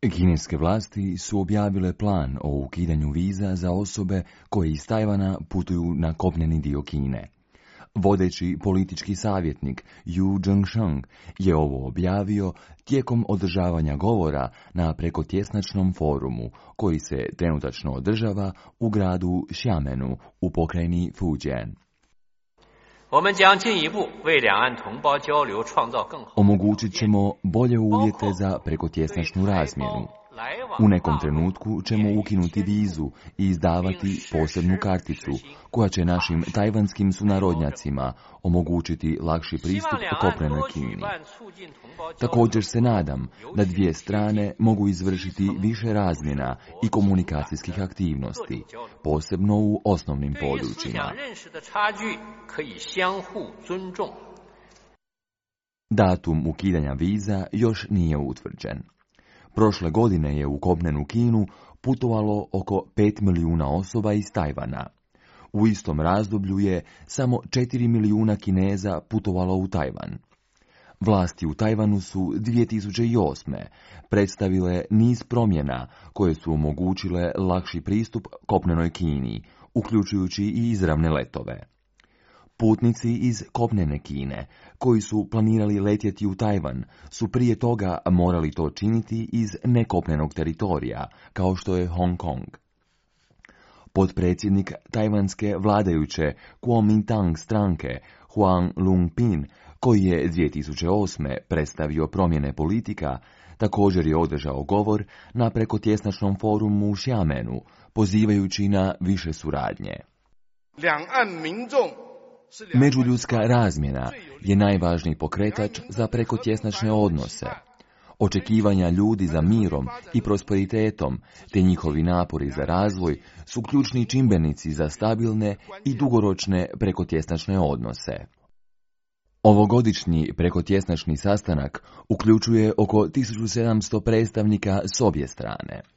Kineske vlasti su objavile plan o ukidanju viza za osobe koje iz Tajvana putuju na kopneni dio Kine. Vodeći politički savjetnik Yu Zhengsheng je ovo objavio tijekom održavanja govora na prekotjesnačnom forumu koji se trenutačno održava u gradu Xiamenu u pokrajini Fujian. Omogućit ćemo bolje uvjete za prekotjesnačnu razmjenu. U nekom trenutku ćemo ukinuti vizu i izdavati posebnu karticu koja će našim tajvanskim sunarodnjacima omogućiti lakši pristup kopnenoj Kini. Također se nadam da dvije strane mogu izvršiti više razmjena i komunikacijskih aktivnosti, posebno u osnovnim područjima. Datum ukidanja viza još nije utvrđen. Prošle godine je u kopnenu Kinu putovalo oko 5 milijuna osoba iz Tajvana. U istom razdoblju je samo 4 milijuna Kineza putovalo u Tajvan. Vlasti u Tajvanu su 2008. predstavile niz promjena koje su omogućile lakši pristup kopnenoj Kini, uključujući i izravne letove. Putnici iz kopnene Kine, koji su planirali letjeti u Tajvan, su prije toga morali to činiti iz nekopnenog teritorija, kao što je Hong Kong. Potpredsjednik tajvanske vladajuće Kuomintang stranke Huang Lungpin, koji je 2008. predstavio promjene politika, također je održao govor na prekotjesnačnom forumu u Xiamenu, pozivajući na više suradnje. Međuljudska razmjena je najvažniji pokretač za prekotjesnačne odnose. Očekivanja ljudi za mirom i prosperitetom, te njihovi napori za razvoj, su ključni čimbenici za stabilne i dugoročne prekotjesnačne odnose. Ovogodišnji prekotjesnačni sastanak uključuje oko 1700 predstavnika s obje strane.